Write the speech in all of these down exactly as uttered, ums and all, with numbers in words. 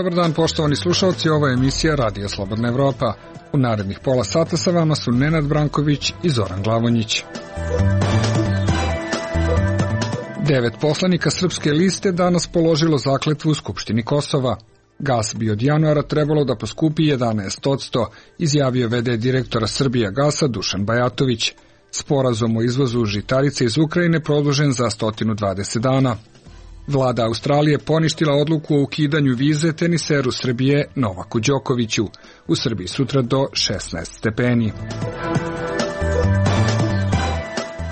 Dobar dan, poštovani slušalci, ovo je emisija Radio Slobodna Evropa. U narednih pola sata sa vama su Nenad Branković i Zoran Glavonjić. Devet poslanika Srpske liste danas položilo zakletvu u Skupštini Kosova. Gas bi od januara trebalo da poskupi jedanaest posto, izjavio v d direktora Srbija gasa Dušan Bajatović. Sporazum o izvozu žitarice iz Ukrajine produžen za sto dvadeset dana. Vlada Australije poništila odluku o ukidanju vize teniseru Srbije Novaku Đokoviću. U Srbiji sutra do šesnaest stepeni.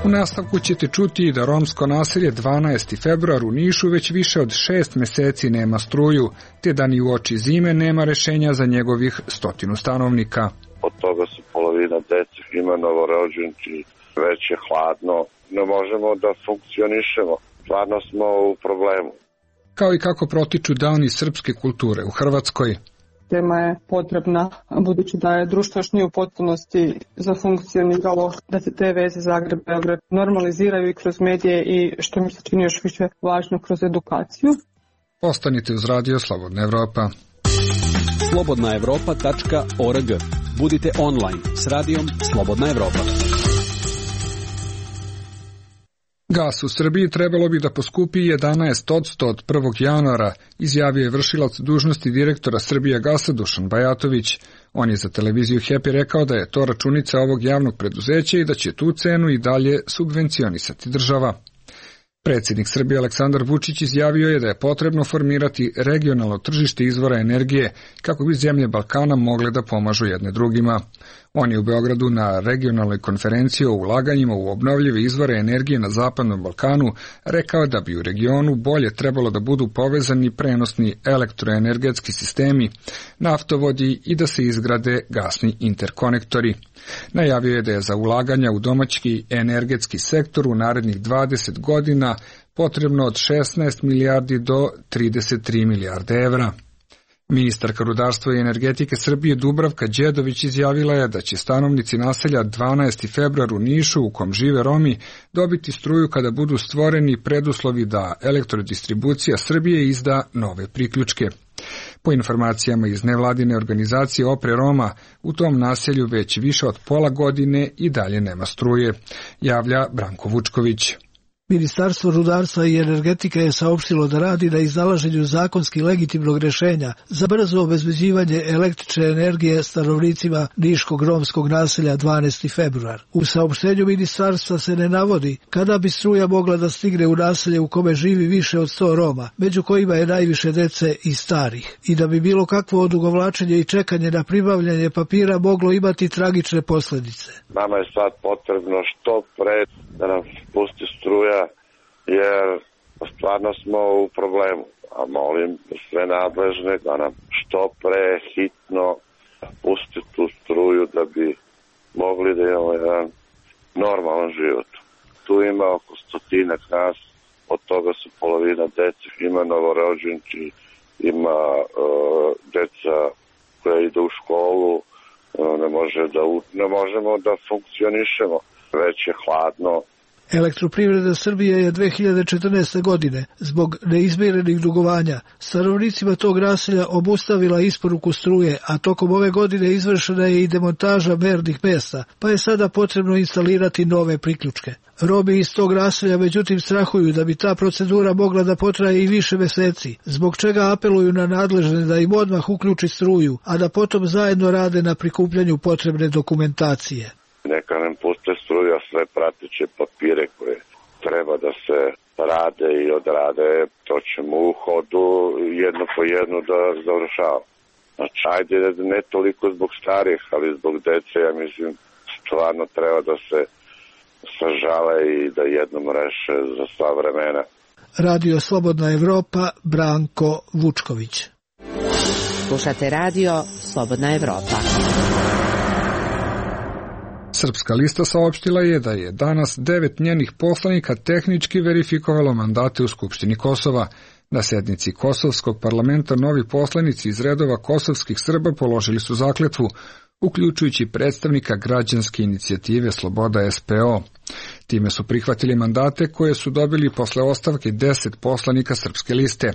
U nastavku ćete čuti da romsko naselje dvanaesti februar u Nišu već više od šest meseci nema struju, te da ni uoči zime nema rešenja za njegovih stotinu stanovnika. Od toga su polovina dece ima novorođenči, već je hladno, ne možemo da funkcionišemo, stvarno smo u problemu. Kao i kako protiču dani srpske kulture u Hrvatskoj. Tema je potrebna, budući da je društvo još nije u potpunosti zafunkcioniralo, da se te veze Zagreb-Beograd normaliziraju i kroz medije i, što mi se čini još više važno, kroz edukaciju. Ostanite uz Radio Slobodna Evropa. slobodna evropa tačka org. Budite online s radijom Slobodna Evropa. Gas u Srbiji trebalo bi da poskupi jedanaest posto od prvog januara, izjavio je vršilac dužnosti direktora Srbija gasa Dušan Bajatović. On je za televiziju Happy rekao da je to računica ovog javnog preduzeća i da će tu cenu i dalje subvencionisati država. Predsjednik Srbije Aleksandar Vučić izjavio je da je potrebno formirati regionalno tržište izvora energije kako bi zemlje Balkana mogle da pomažu jedne drugima. On je u Beogradu na regionalnoj konferenciji o ulaganjima u obnovljive izvore energije na Zapadnom Balkanu rekao da bi u regionu bolje trebalo da budu povezani prenosni elektroenergetski sistemi, naftovodi i da se izgrade gasni interkonektori. Najavio je da je za ulaganja u domaći energetski sektor u narednih dvadeset godina potrebno od šesnaest milijardi do trideset tri milijarde evra. Ministarka rudarstva i energetike Srbije Dubravka Đedović izjavila je da će stanovnici naselja dvanaesti februar u Nišu, u kom žive Romi, dobiti struju kada budu stvoreni preduslovi da elektrodistribucija Srbije izda nove priključke. Po informacijama iz nevladine organizacije Opre Roma, u tom naselju već više od pola godine i dalje nema struje, javlja Branko Vučković. Ministarstvo rudarstva i energetike je saopštilo da radi na iznalaženju zakonski legitimnog rješenja za brzo obezbeđivanje električne energije stanovnicima niškog romskog naselja dvanaesti februar. U saopštenju ministarstva se ne navodi kada bi struja mogla da stigne u naselje u kome živi više od sto Roma, među kojima je najviše dece i starih, i da bi bilo kakvo odugovlačenje i čekanje na pribavljanje papira moglo imati tragične posljedice. Nama je sad potrebno što pre da nam pusti struja, jer stvarno smo u problemu. A molim sve nadležne da nam što pre hitno pusti tu struju da bi mogli da imamo jedan normalan život. Tu ima oko stotinak nas, od toga su polovina dece, ima novorođenči, ima uh, deca koja ide u školu, uh, ne, može da, ne možemo da funkcionišemo, već je hladno. Elektroprivreda Srbije je dve hiljade četrnaeste. godine zbog neizmirenih dugovanja stanovnicima tog naselja obustavila isporuku struje, a tokom ove godine izvršena je i demontaža mernih mesta, pa je sada potrebno instalirati nove priključke. Romi iz tog naselja međutim strahuju da bi ta procedura mogla da potraje i više meseci, zbog čega apeluju na nadležne da im odmah uključi struju, a da potom zajedno rade na prikupljanju potrebne dokumentacije. Neka nam puste struja, sve prateće papire koje treba da se rade i odrade, to ćemo u hodu jedno po jedno da završavamo. Znači, ajde ne toliko zbog starih, ali zbog dece, ja mislim, stvarno treba da se sažale i da jednom reše za sva vremena. Radio Slobodna Evropa, Branko Vučković. Slušate Radio Slobodna Evropa. Srpska lista saopštila je da je danas devet njenih poslanika tehnički verifikovalo mandate u Skupštini Kosova. Na sednici Kosovskog parlamenta novi poslanici iz redova kosovskih Srba položili su zakletvu, uključujući predstavnika građanske inicijative Sloboda S P O. Time su prihvatili mandate koje su dobili posle ostavke deset poslanika Srpske liste.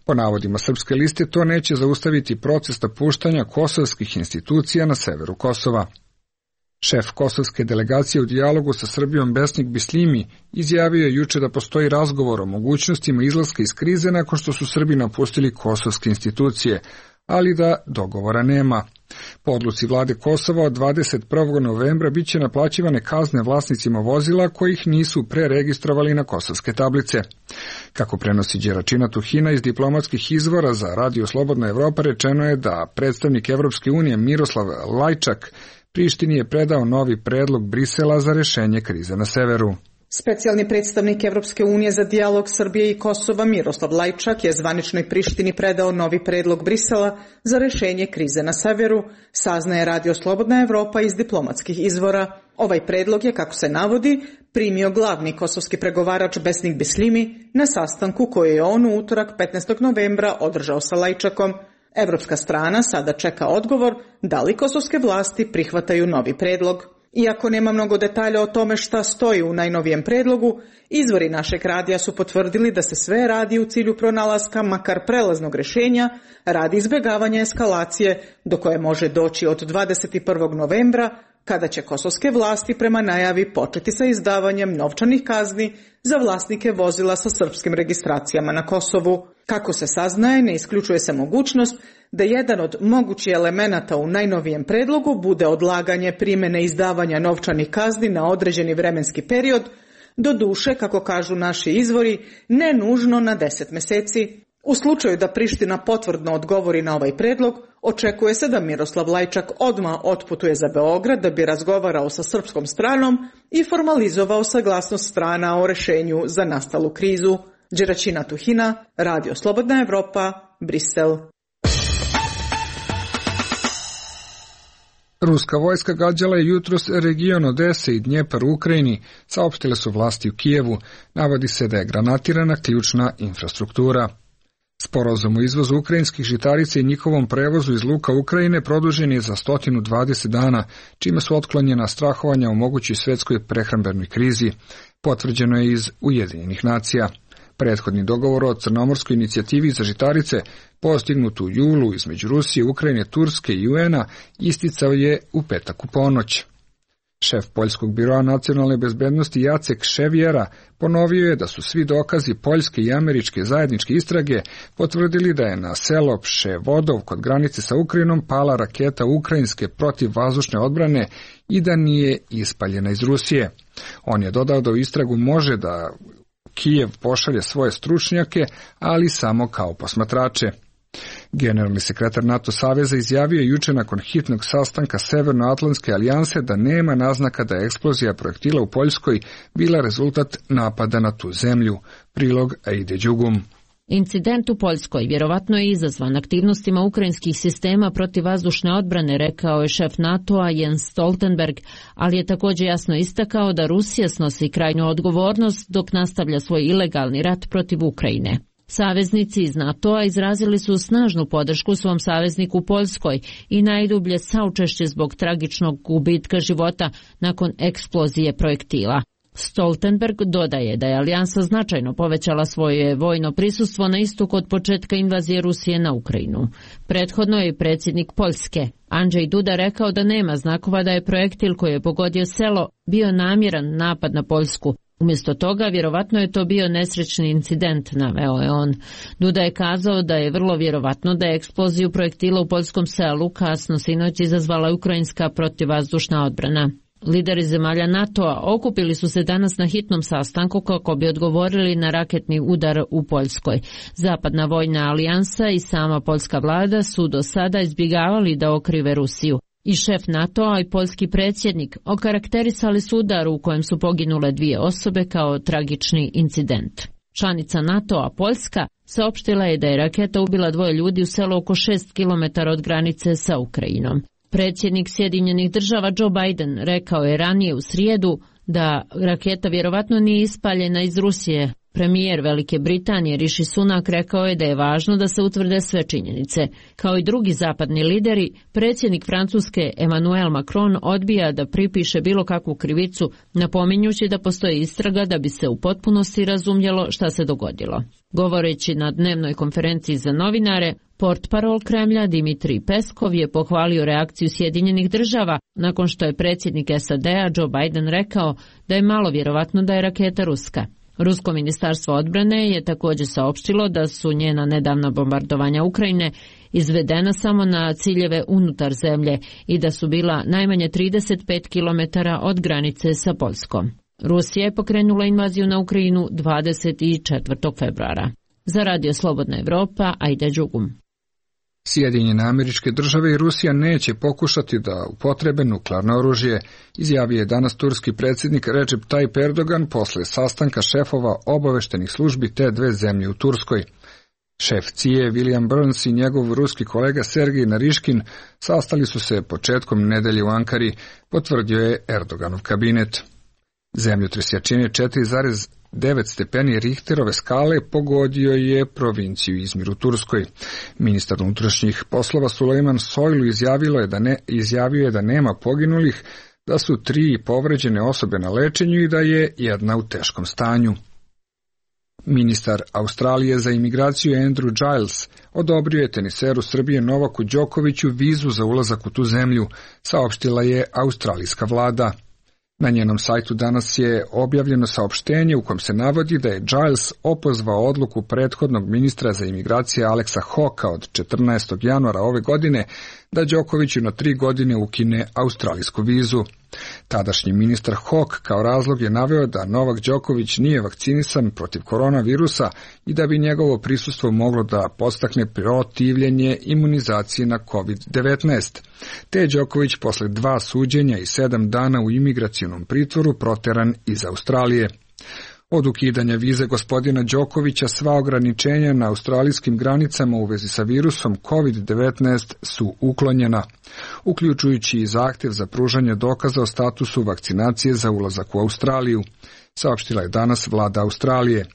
Po navodima Srpske liste to neće zaustaviti proces napuštanja kosovskih institucija na severu Kosova. Šef kosovske delegacije u dijalogu sa Srbijom Besnik Bislimi izjavio je juče da postoji razgovor o mogućnostima izlaska iz krize nakon što su Srbi napustili kosovske institucije, ali da dogovora nema. Po odluci vlade Kosova od dvadeset prvog novembra biće naplaćivane kazne vlasnicima vozila kojih nisu preregistrovali na kosovske tablice. Kako prenosi Đeračina Tuhina iz diplomatskih izvora za Radio Slobodna Evropa, rečeno je da predstavnik Evropske unije Miroslav Lajčak Prištini je predao novi predlog Brisela za rešenje krize na severu. Specijalni predstavnik Evropske unije za dijalog Srbije i Kosova Miroslav Lajčak je zvaničnoj Prištini predao novi predlog Brisela za rešenje krize na severu, saznaje Radio Slobodna Evropa iz diplomatskih izvora. Ovaj predlog je, kako se navodi, primio glavni kosovski pregovarač Besnik Bislimi na sastanku koji je on u utorak petnaestog novembra održao sa Lajčakom. Evropska strana sada čeka odgovor da li kosovske vlasti prihvataju novi predlog. Iako nema mnogo detalja o tome šta stoji u najnovijem predlogu, izvori našeg radija su potvrdili da se sve radi u cilju pronalaska makar prelaznog rešenja radi izbjegavanja eskalacije do koje može doći od dvadeset prvog novembra, kada će kosovske vlasti prema najavi početi sa izdavanjem novčanih kazni za vlasnike vozila sa srpskim registracijama na Kosovu. Kako se saznaje, ne isključuje se mogućnost da jedan od mogućih elemenata u najnovijem predlogu bude odlaganje primjene izdavanja novčanih kazni na određeni vremenski period, do duše, kako kažu naši izvori, ne nužno na deset meseci. U slučaju da Priština potvrdno odgovori na ovaj predlog, očekuje se da Miroslav Lajčak odmah otputuje za Beograd da bi razgovarao sa srpskom stranom i formalizovao saglasnost strana o rešenju za nastalu krizu. Đeračina Tuhina, Radio Slobodna Evropa, Brisel. Ruska vojska gađala je jutros region Odese i Dnjepar u Ukrajini, saopštile su vlasti u Kijevu. Navodi se da je granatirana ključna infrastruktura. Sporazum o izvozu ukrajinskih žitarica i njihovom prevozu iz luka Ukrajine produžen je za sto dvadeset dana, čime su otklonjena strahovanja o mogućoj svetskoj prehrambenoj krizi. Potvrđeno je iz Ujedinjenih nacija. Prethodni dogovor o crnomorskoj inicijativi za žitarice, postignut u julu između Rusije, Ukrajine, Turske i U N-a, isticao je u petak u ponoć. Šef Poljskog biroa nacionalne bezbednosti Jacek Ševjera ponovio je da su svi dokazi poljske i američke zajedničke istrage potvrdili da je na selo Pševodov kod granice sa Ukrajinom pala raketa ukrajinske protivvazdušne odbrane i da nije ispaljena iz Rusije. On je dodao da u istragu može da Kijev pošalje svoje stručnjake, ali samo kao posmatrače. Generalni sekretar NATO saveza izjavio je juče nakon hitnog sastanka Severnoatlantske alijanse da nema naznaka da je eksplozija projektila u Poljskoj bila rezultat napada na tu zemlju. Prilog Aide Đugum. Incident u Poljskoj vjerovatno je izazvan aktivnostima ukrajinskih sistema protivvazdušne odbrane, rekao je šef NATO-a Jens Stoltenberg, ali je također jasno istakao da Rusija snosi krajnju odgovornost dok nastavlja svoj ilegalni rat protiv Ukrajine. Saveznici iz NATO-a izrazili su snažnu podršku svom savezniku Poljskoj i najdublje saučešće zbog tragičnog gubitka života nakon eksplozije projektila. Stoltenberg dodaje da je alijansa značajno povećala svoje vojno prisustvo na istoku od početka invazije Rusije na Ukrajinu. Prethodno je predsjednik Poljske, Andrzej Duda, rekao da nema znakova da je projektil koji je pogodio selo bio namjeran napad na Poljsku. Umjesto toga, vjerovatno je to bio nesrećni incident, naveo je on. Duda je kazao da je vrlo vjerovatno da je eksploziju projektila u poljskom selu kasno sinoć izazvala ukrajinska protivvazdušna odbrana. Lideri zemalja NATO-a okupili su se danas na hitnom sastanku kako bi odgovorili na raketni udar u Poljskoj. Zapadna vojna alijansa i sama poljska vlada su do sada izbjegavali da okrive Rusiju. I šef NATO-a i poljski predsjednik okarakterisali su udar u kojem su poginule dvije osobe kao tragični incident. Članica NATO-a Poljska saopštila je da je raketa ubila dvoje ljudi u selu oko šest kilometara od granice sa Ukrajinom. Predsjednik Sjedinjenih država Joe Biden rekao je ranije u srijedu da raketa vjerovatno nije ispaljena iz Rusije, Premijer Velike Britanije Rishi Sunak rekao je da je važno da se utvrde sve činjenice. Kao i drugi zapadni lideri, predsjednik Francuske Emmanuel Macron odbija da pripiše bilo kakvu krivicu, napominjući da postoji istraga da bi se u potpunosti razumjelo šta se dogodilo. Govoreći na dnevnoj konferenciji za novinare, portparol Kremlja Dimitrij Peskov je pohvalio reakciju Sjedinjenih država nakon što je predsjednik S A D-a Joe Biden rekao da je malo vjerovatno da je raketa ruska. Rusko ministarstvo odbrane je također saopštilo da su njena nedavna bombardovanja Ukrajine izvedena samo na ciljeve unutar zemlje i da su bila najmanje trideset pet kilometara od granice sa Poljskom. Rusija je pokrenula invaziju na Ukrajinu dvadeset četvrtog februara. Za Radio Slobodna Evropa, Ajde Đugum. Sjedinjene Američke Države i Rusija neće pokušati da upotrebe nuklearno oružje, izjavio je danas turski predsjednik Recep Tayyip Erdogan posle sastanka šefova obaveštenih službi te dve zemlje u Turskoj. Šef C I A William Burns i njegov ruski kolega Sergej Nariškin sastali su se početkom nedelje u Ankari, potvrdio je Erdoganov kabinet. Zemljotres jačine četiri zarez devet stepeni Richterove skale pogodio je provinciju Izmir u Turskoj. Ministar unutrašnjih poslova Sulejman Soylu izjavilo je da ne, izjavio je da nema poginulih, da su tri povređene osobe na lečenju i da je jedna u teškom stanju. Ministar Australije za imigraciju Andrew Giles odobrio je teniseru Srbije Novaku Đokoviću vizu za ulazak u tu zemlju, saopštila je australijska vlada. Na njenom sajtu danas je objavljeno saopštenje u kojem se navodi da je Giles opozvao odluku prethodnog ministra za imigracije Alexa Hawka od četrnaestog januara ove godine da Đokoviću na tri godine ukine australijsku vizu. Tadašnji ministar Hawk kao razlog je naveo da Novak Đoković nije vakcinisan protiv koronavirusa i da bi njegovo prisustvo moglo da podstakne protivljenje imunizaciji na kovid devetnaest. Te je Đoković posle dva suđenja i sedam dana u imigracionom pritvoru proteran iz Australije. Od ukidanja vize gospodina Đokovića sva ograničenja na australijskim granicama u vezi sa virusom kovid devetnaest su uklonjena, uključujući i zahtjev za pružanje dokaza o statusu vakcinacije za ulazak u Australiju, saopštila je danas vlada Australije.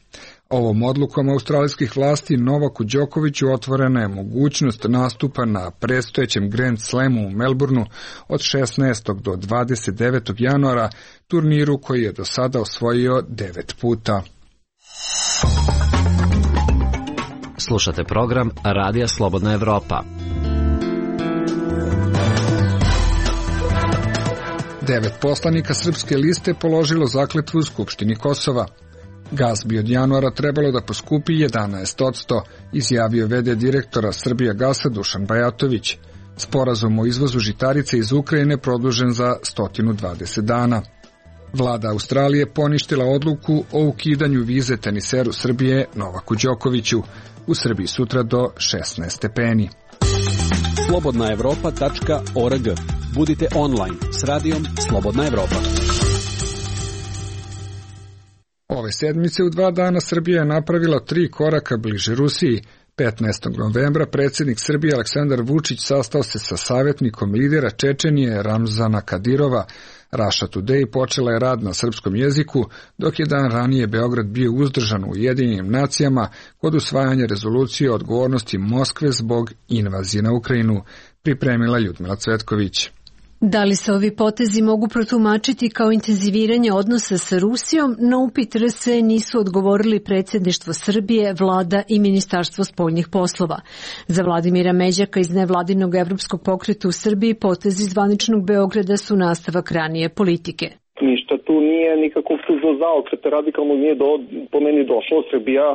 Ovom odlukom australijskih vlasti Novaku Đokoviću otvorena je mogućnost nastupa na predstojećem Grand Slamu u Melbourneu od šesnaestog do dvadeset devetog januara, turniru koji je do sada osvojio devet puta. Slušate program Radija Slobodna Evropa. Devet poslanika Srpske liste položilo zakletvu u Skupštini Kosova. Gas bi od januara trebalo da poskupi jedanaest posto, izjavio v d direktora Srbijagasa Dušan Bajatović. Sporazum o izvozu žitarice iz Ukrajine produžen za sto dvadeset dana. Vlada Australije poništila odluku o ukidanju vize teniseru Srbije Novaku Đokoviću. U Srbiji sutra do šesnaest stepeni. slobodna evropa tačka org. Budite online s radijom Slobodna Evropa. Ove sedmice u dva dana Srbija je napravila tri koraka bliže Rusiji. petnaestog novembra predsjednik Srbije Aleksandar Vučić sastao se sa savjetnikom lidera Čečenije Ramzana Kadirova. Russia Today počela je rad na srpskom jeziku, dok je dan ranije Beograd bio uzdržan u Ujedinjenim nacijama kod usvajanja rezolucije o odgovornosti Moskve zbog invazije na Ukrajinu, pripremila Ljudmila Cvetković. Da li se ovi potezi mogu protumačiti kao intenziviranje odnosa sa Rusijom? Na upit R S nisu odgovorili predsjedništvo Srbije, vlada i Ministarstvo spoljnih poslova. Za Vladimira Međaka iz nevladinog evropskog pokreta u Srbiji potezi zvaničnog Beograda su nastavak ranije politike. Ništa tu nije nikakvog tužno zaokreta radikalnog nije do, po meni došlo. Srbija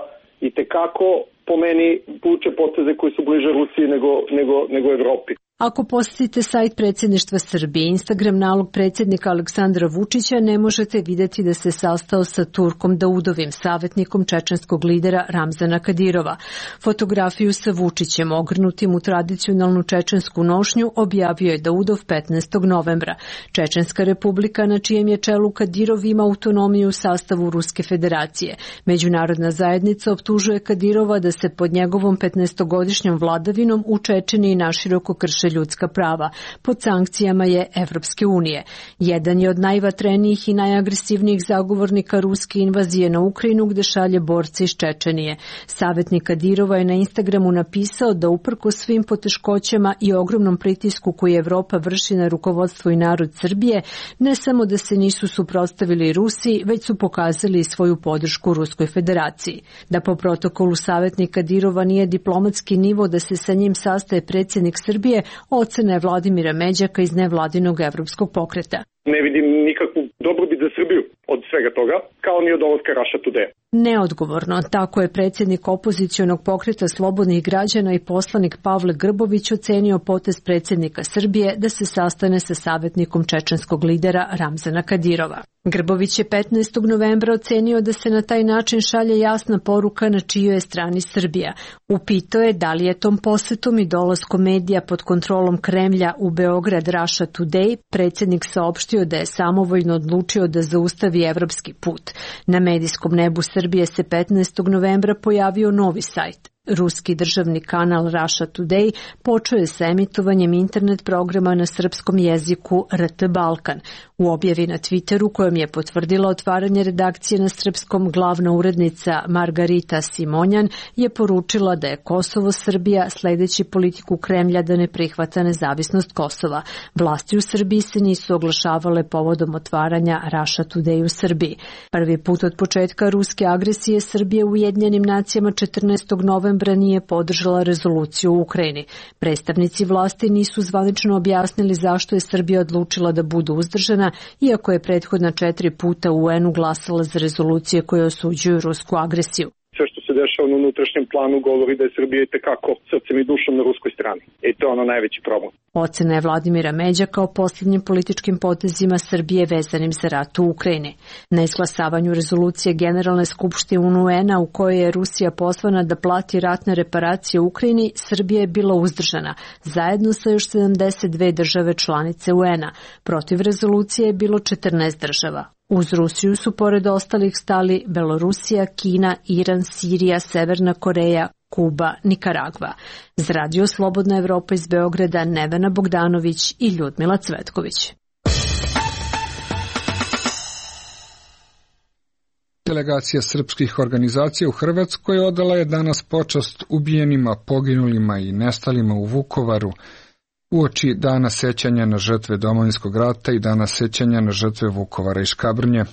i tekako po meni vuče poteze koji su bliže Rusiji nego, nego, nego Evropi. Ako posjetite sajt predsjedništva Srbije, Instagram nalog predsjednika Aleksandra Vučića, ne možete vidjeti da se sastao sa Turkom Daudovim, savjetnikom čečenskog lidera Ramzana Kadirova. Fotografiju sa Vučićem, ogrnutim u tradicionalnu čečensku nošnju, objavio je Daudov petnaestog novembra. Čečenska republika, na čijem je čelu Kadirov, ima autonomiju u sastavu Ruske federacije. Međunarodna zajednica optužuje Kadirova da se pod njegovom petnaestogodišnjom vladavinom u Čečeniji naširoko krše ljudska prava. Pod sankcijama je Evropske unije. Jedan je od najvatrenijih i najagresivnijih zagovornika ruske invazije na Ukrajinu, gde šalje borce iz Čečenije. Savjetnik Kadirova je na Instagramu napisao da uprkos svim poteškoćama i ogromnom pritisku koji Evropa vrši na rukovodstvo i narod Srbije, ne samo da se nisu suprotstavili Rusiji, već su pokazali svoju podršku Ruskoj federaciji. Da po protokolu savjetnik Kadirova nije diplomatski nivo da se sa njim sastaje predsjednik Srbije, ocena je Vladimira Međaka iz nevladinog evropskog pokreta. Ne vidim nikakvu dobrobit za Srbiju od svega toga, kao ni od dolaska Russia Today. Neodgovorno, tako je predsjednik opozicionog pokreta Slobodnih građana i poslanik Pavle Grbović ocenio potez predsjednika Srbije da se sastane sa savjetnikom čečenskog lidera Ramzana Kadirova. Grbović je petnaestog novembra ocenio da se na taj način šalje jasna poruka na čijoj je strani Srbija. Upitao je da li je tom posetom i dolaskom medija pod kontrolom Kremlja u Beograd Russia Today predsjednik saopštio da je samovoljno odlučio da zaustavi evropski put. Na medijskom nebu Srbije se petnaestog novembra pojavio novi sajt. Ruski državni kanal Russia Today počeo je sa emitovanjem internet programa na srpskom jeziku R T Balkan. U objavi na Twitteru kojom je potvrdila otvaranje redakcije na srpskom, glavna urednica Margarita Simonjan je poručila da je Kosovo Srbija sledeći politiku Kremlja da ne prihvata nezavisnost Kosova. Vlasti u Srbiji se nisu oglašavale povodom otvaranja Russia Today u Srbiji. Prvi put od početka ruske agresije Srbije u Ujedinjenim nacijama četrnaestog novembra nije podržala rezoluciju u Ukrajini. Predstavnici vlasti nisu zvanično objasnili zašto je Srbija odlučila da bude uzdržana, iako je prethodna četiri puta u U N-u glasala za rezolucije koje osuđuju rusku agresiju. Sve što se dešava na unutrašnjem planu govori da je Srbija itekako srcem i dušom na ruskoj strani. I to je ono najveći problem. Ocena je Vladimira Međaka o posljednjim političkim potezima Srbije vezanim za rat u Ukrajini. Na izglasavanju rezolucije Generalne skupštine U N-a u kojoj je Rusija pozvana da plati ratne reparacije u Ukrajini, Srbija je bila uzdržana, zajedno sa još sedamdeset dve države članice U N-a. Protiv rezolucije je bilo četrnaest država. Uz Rusiju su pored ostalih stali Belorusija, Kina, Iran, Sirija, Severna Koreja, Kuba, Nikaragva. Za Radio Slobodna Evropa iz Beograda Nevena Bogdanović i Ljudmila Cvetković. Delegacija srpskih organizacija u Hrvatskoj odala je danas počast ubijenima, poginulima i nestalima u Vukovaru, uoči dana sećanja na žrtve Domovinskog rata i dana sećanja na žrtve Vukovara i Škabrnje.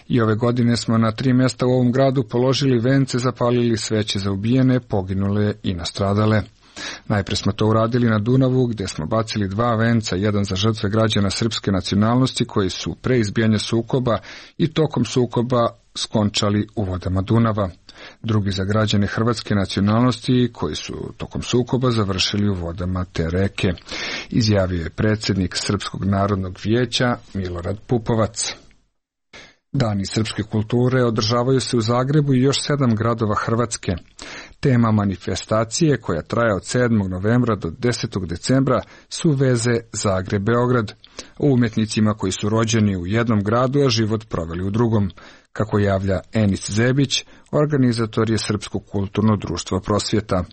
I ove godine smo na tri mjesta u ovom gradu položili vence, zapalili sveće za ubijene, poginule i nastradale. Najpre smo to uradili na Dunavu, gdje smo bacili dva venca, jedan za žrtve građana srpske nacionalnosti koji su pre izbijanja sukoba i tokom sukoba skončali u vodama Dunava. Drugi za građane hrvatske nacionalnosti koji su tokom sukoba završili u vodama te reke, izjavio je predsjednik Srpskog narodnog vijeća Milorad Pupovac. Dani srpske kulture održavaju se u Zagrebu i još sedam gradova Hrvatske. Tema manifestacije, koja traje od sedmog novembra do desetog decembra, su veze Zagreb-Beograd, o umjetnicima koji su rođeni u jednom gradu, a život proveli u drugom. Kako javlja Enis Zebić, organizator je Srpsko kulturno društvo Prosvjeta.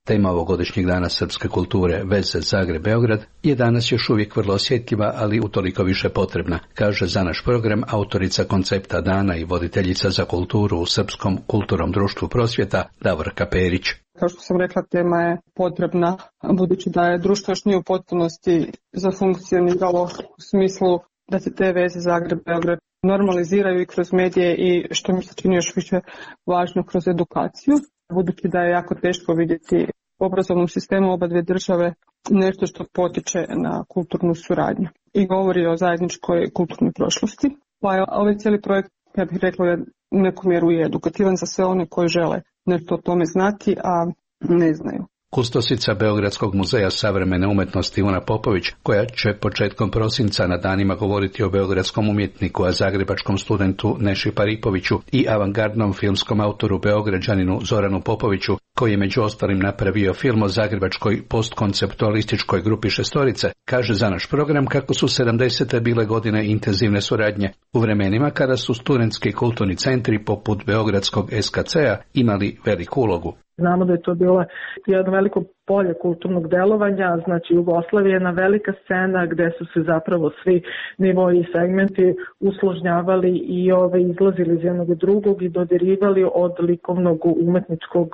Tema ovogodišnjeg dana srpske kulture, veze Zagreb-Beograd, je danas još uvijek vrlo osjetljiva, ali utoliko više potrebna, kaže za naš program autorica koncepta dana i voditeljica za kulturu u Srpskom kulturnom društvu Prosvjeta, Davorka Perić. Kao što sam rekla, tema je potrebna, budući da je društvo još nije u potpunosti zafunkcioniralo u smislu da se te veze Zagreb-Beograd normaliziraju i kroz medije i, što mi se čini još više važno, kroz edukaciju. Budući da je jako teško vidjeti u obrazovnom sistemu oba dvije države nešto što potiče na kulturnu suradnju i govori o zajedničkoj kulturnoj prošlosti. Pa je ovaj cijeli projekt, ja bih rekla, je u neku mjeru i edukativan za sve one koji žele nešto o tome znati, a ne znaju. Kustosica Beogradskog muzeja savremene umjetnosti Ivana Popović, koja će početkom prosinca na danima govoriti o beogradskom umjetniku, a zagrebačkom studentu Neši Paripoviću i avangardnom filmskom autoru Beograđaninu Zoranu Popoviću, koji je među ostalim napravio film o zagrebačkoj postkonceptualističkoj grupi Šestorice, kaže za naš program kako su sedamdesete bile godine intenzivne suradnje, u vremenima kada su studentski kulturni centri poput beogradskog S K C-a imali veliku ulogu. Znamo da je to bilo jedno veliko polje kulturnog delovanja, znači Jugoslavija je jedna velika scena gde su se zapravo svi nivoi i segmenti usložnjavali i ove, izlazili iz jednog drugog i dodirivali od likovnog, umetničkog,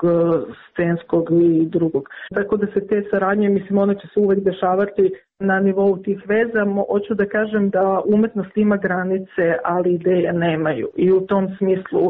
scenskog i drugog. Tako da se te saradnje, mislim, one će se uvek dešavati na nivou tih veza. Hoću da kažem da umetnost ima granice, ali ideje nemaju. I u tom smislu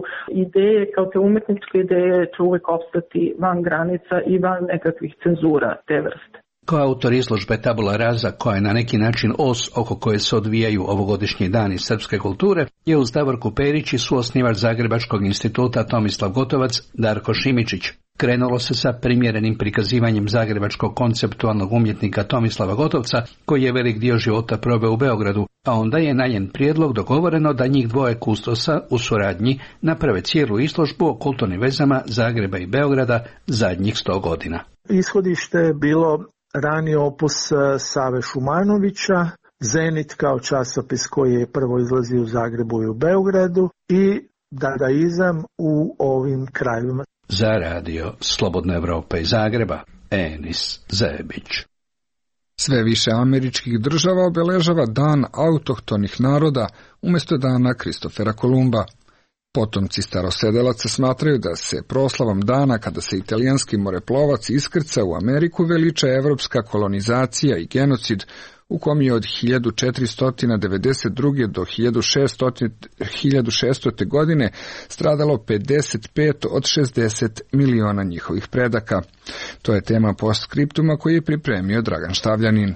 ideje, kao te umetničke ideje, će uvek opstati van granica i van nekakvih cenzura te vrste. Kao autor izložbe Tabula Rasa, koja je na neki način os oko koje se odvijaju ovogodišnji dani srpske kulture, je uz Davorku Perić i suosnivač Zagrebačkog instituta Tomislav Gotovac Darko Šimičić. Krenulo se sa primjerenim prikazivanjem zagrebačkog konceptualnog umjetnika Tomislava Gotovca, koji je velik dio života proveo u Beogradu, a onda je na njen prijedlog dogovoreno da njih dvoje kustosa u suradnji naprave cijelu izložbu o kulturnim vezama Zagreba i Beograda zadnjih sto godina. Ishodište je bilo rani opus Save Šumanovića, Zenit kao časopis koji je prvo izlazio u Zagrebu i u Beogradu i dadaizam u ovim krajevima. Za radio Slobodna Evropa iz Zagreba, Enis Zebić. Sve više američkih država obeležava Dan autohtonih naroda umjesto dana Kristofera Kolumba. Potomci starosedelaca smatraju da se proslavom dana kada se italijanski moreplovac iskrca u Ameriku veliča evropska kolonizacija i genocid u kom je od hiljadu četiristo devedeset druge do hiljadu šeststo godine stradalo pedeset pet od šezdeset miliona njihovih predaka. To je tema postskriptuma koji je pripremio Dragan Štavljanin.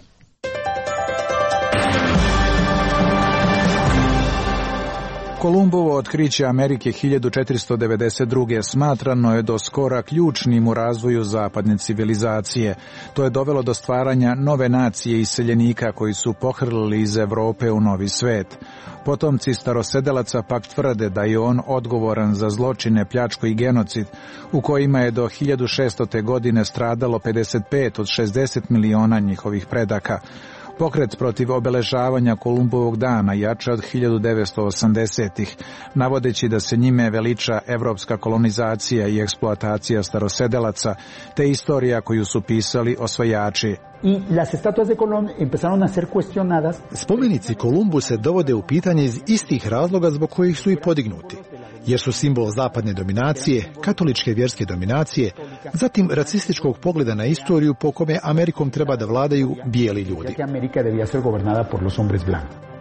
Kolumbovo otkriće Amerike hiljadu četiristo devedeset druge smatrano je do skora ključnim u razvoju zapadne civilizacije. To je dovelo do stvaranja nove nacije iseljenika koji su pohrlili iz Evrope u novi svet. Potomci starosedelaca pak tvrde da je on odgovoran za zločine, pljačku i genocid, u kojima je do hiljadu šeststo godine stradalo pedeset pet od šezdeset miliona njihovih predaka. Pokret protiv obeležavanja Kolumbovog dana jača od hiljadu devetsto osamdesetih, navodeći da se njime veliča evropska kolonizacija i eksploatacija starosedelaca, te istorija koju su pisali osvajači. Spomenici Kolumbu se dovode u pitanje iz istih razloga zbog kojih su i podignuti, jer su simbol zapadne dominacije, katoličke vjerske dominacije, zatim rasističkog pogleda na istoriju po kome Amerikom treba da vladaju bijeli ljudi.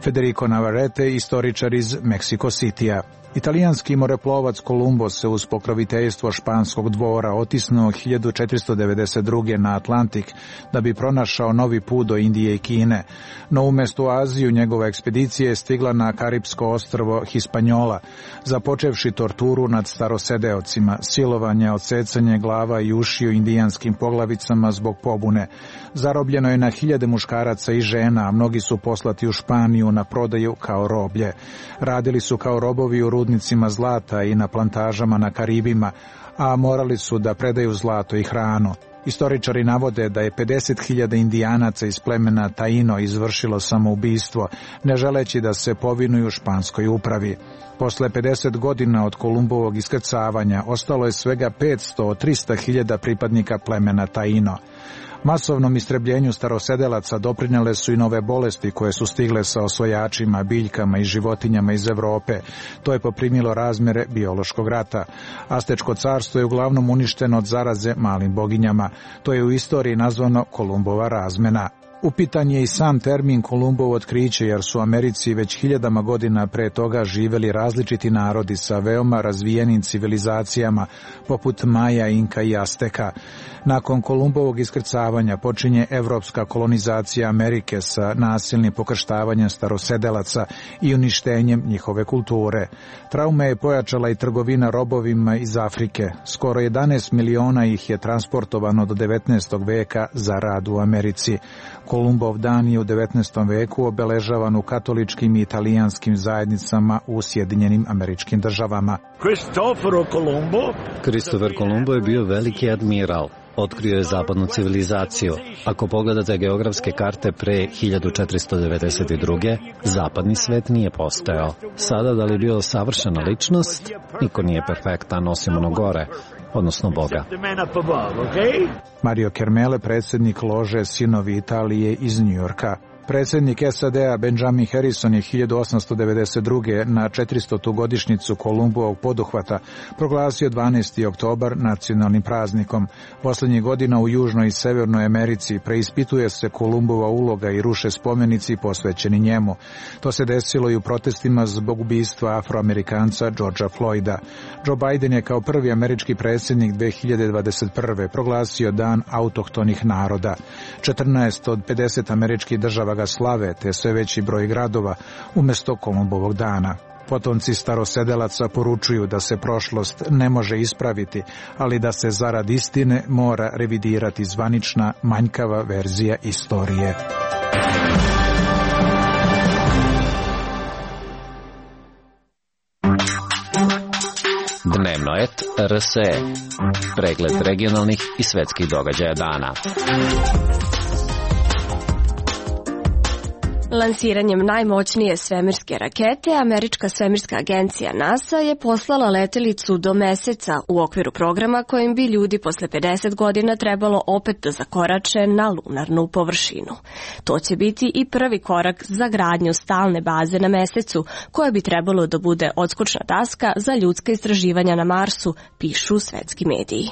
Federico Navarrete, istoričar iz Mexico Citya. Italijanski moreplovac Kolumbo se uz pokroviteljstvo španskog dvora otisnuo hiljadu četiristo devedeset druge na Atlantik da bi pronašao novi put do Indije i Kine, no umjesto u Aziju njegova ekspedicija je stigla na Karipsko ostrvo Hispaniola, započevši torturu nad starosedeocima, silovanje, odsecanje glava i ušiju indijanskim poglavicama zbog pobune. Zarobljeno je na hiljade muškaraca i žena, a mnogi su poslati u Španiju na prodaju kao roblje. Radili su kao robovi u rudnicima zlata i na plantažama na Karibima, a morali su da predaju zlato i hranu. Istoričari navode da je pedeset hiljada indijanaca iz plemena Taino izvršilo samoubistvo, ne želeći da se povinuju španskoj upravi. Posle pedeset godina od Kolumbovog iskrcavanja ostalo je svega petsto od trista hiljada pripadnika plemena Taino. Masovnom istrebljenju starosedelaca doprinjale su i nove bolesti koje su stigle sa osvajačima, biljkama i životinjama iz Evrope. To je poprimilo razmjere biološkog rata. Astečko carstvo je uglavnom uništeno od zaraze malim boginjama. To je u istoriji nazvano Kolumbova razmena. Upitan je i sam termin Kolumbovo otkriće, jer su u Americi već hiljadama godina pre toga živeli različiti narodi sa veoma razvijenim civilizacijama, poput Maja, Inka i Azteka. Nakon Kolumbovog iskrcavanja počinje evropska kolonizacija Amerike sa nasilnim pokrštavanjem starosedelaca i uništenjem njihove kulture. Traume je pojačala i trgovina robovima iz Afrike. Skoro jedanaest miliona ih je transportovano do devetnaestog veka za rad u Americi. Kolumbov dan je u devetnaestom veku obeležavan u katoličkim i italijanskim zajednicama u Sjedinjenim Američkim Državama. Kristofer Kolumbo je bio veliki admiral. Otkrio je zapadnu civilizaciju. Ako pogledate geografske karte pre hiljadu četiristo devedeset druge. zapadni svet nije postojao. Sada, da li je bio savršena ličnost? Niko nije perfektan, osim ono gore. odnosno Boga. Mario Kermele, predsjednik lože Sinovi Italije iz Njujorka. Predsjednik S A D-a Benjamin Harrison je hiljadu osamsto devedeset druge na četiristotu godišnjicu Kolumbovog poduhvata proglasio dvanaesti oktobar nacionalnim praznikom. Posljednjih godina u Južnoj i Severnoj Americi preispituje se Kolumbova uloga i ruše spomenici posvećeni njemu. To se desilo i u protestima zbog ubistva Afroamerikanca Georgea Floyda. Joe Biden je kao prvi američki predsjednik dve hiljade dvadeset prve proglasio dan autohtonih naroda. četrnaest od pedeset američkih država ga slave, te sve veći broj gradova umjesto Kolumbovog dana. Potomci starosedelaca poručuju da se prošlost ne može ispraviti, ali da se zarad istine mora revidirati zvanična manjkava verzija istorije. Dnevno et R S E. Pregled regionalnih i svetskih događaja dana. Lansiranjem najmoćnije svemirske rakete, američka svemirska agencija NASA je poslala letelicu do Meseca u okviru programa kojim bi ljudi posle pedeset godina trebalo opet da zakorače na lunarnu površinu. To će biti i prvi korak za gradnju stalne baze na Mesecu, koja bi trebalo da bude odskočna taska za ljudska istraživanja na Marsu, pišu svetski mediji.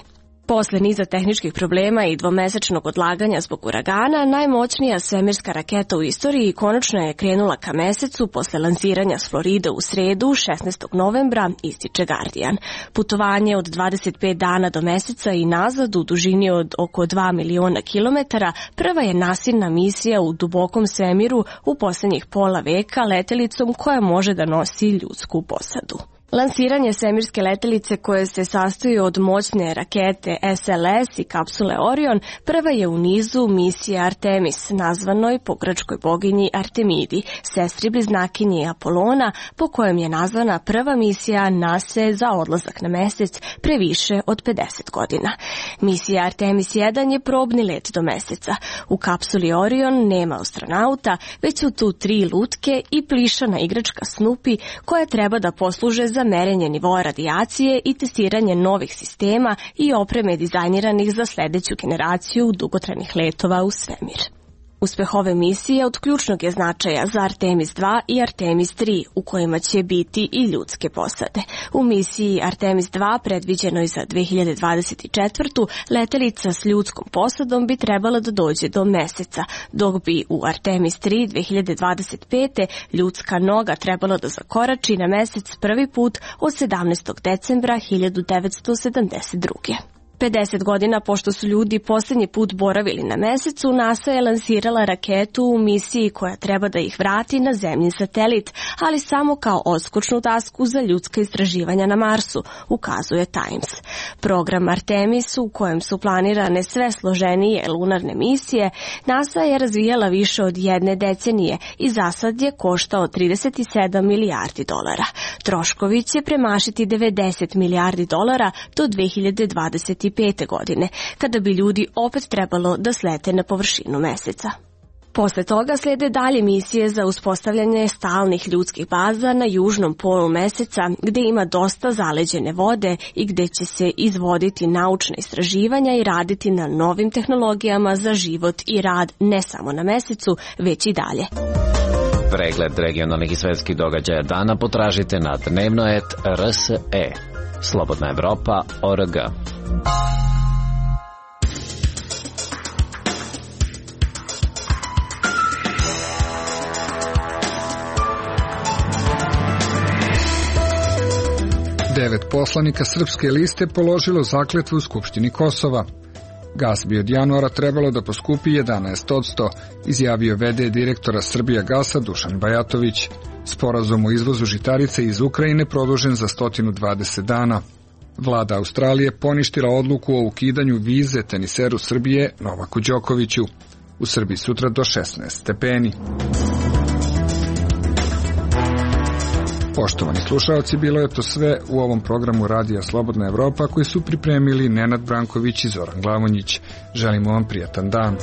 Posle niza tehničkih problema i dvomesečnog odlaganja zbog uragana, najmoćnija svemirska raketa u istoriji konačno je krenula ka Mesecu posle lansiranja s Floride u sredu, šesnaestog novembra, ističe Guardian. Putovanje od dvadeset pet dana do Meseca i nazad u dužini od oko dva miliona kilometara prva je nasilna misija u dubokom svemiru u poslednjih pola veka letelicom koja može da nosi ljudsku posadu. Lansiranje svemirske letelice koje se sastoji od moćne rakete S L S i kapsule Orion prva je u nizu misije Artemis, nazvanoj po grčkoj boginji Artemidi, sestri bliznakinji Apolona, po kojem je nazvana prva misija NASA za odlazak na Mesec pre više od pedeset godina. Misija Artemis jedan je probni let do Meseca. U kapsuli Orion nema astronauta, već su tu tri lutke i plišana igračka Snoopy koja treba da posluže za merenje nivoa radijacije i testiranje novih sistema i opreme dizajniranih za sledeću generaciju dugotrajnih letova u svemir. Uspeh ove misije od ključnog je značaja za Artemis dva i Artemis tri, u kojima će biti i ljudske posade. U misiji Artemis dva, predviđenoj za dve hiljade dvadeset četvrtu. letelica s ljudskom posadom bi trebala da dođe do Meseca, dok bi u Artemis tri dve hiljade dvadeset pete. ljudska noga trebala da zakorači na Mesec prvi put od sedamnaestog decembra hiljadu devetsto sedamdeset druge. pedeset godina pošto su ljudi poslednji put boravili na Mesecu, NASA je lansirala raketu u misiji koja treba da ih vrati na zemljin satelit, ali samo kao odskočnu tasku za ljudska istraživanja na Marsu, ukazuje Times. Program Artemis, u kojem su planirane sve složenije lunarne misije, NASA je razvijala više od jedne decenije i zasad je koštao trideset sedam milijardi dolara. Troškovi će premašiti devedeset milijardi dolara do dve hiljade dvadeset pete. godine, kada bi ljudi opet trebalo da slete na površinu Meseca. Posle toga slede dalje misije za uspostavljanje stalnih ljudskih baza na južnom polu Meseca, gde ima dosta zaleđene vode i gde će se izvoditi naučna istraživanja i raditi na novim tehnologijama za život i rad ne samo na Mesecu, već i dalje. Pregled regionalnih i svetskih događaja dana potražite na dnevno et R S E. Slobodna Evropa O R G. Devet poslanika Srpske liste položilo zakletvu u Skupštini Kosova. Gas bi od januara trebalo da poskupi jedanaest posto, izjavio v d direktora Srbijagasa Dušan Bajatović. Sporazum o izvozu žitarice iz Ukrajine produžen za sto dvadeset dana. Vlada Australije poništila odluku o ukidanju vize teniseru Srbije Novaku Đokoviću. U Srbiji sutra do šesnaest stepeni. Poštovani slušaoci, bilo je to sve u ovom programu Radija Slobodna Evropa koji su pripremili Nenad Branković i Zoran Glavonjić. Želimo vam prijatan dan.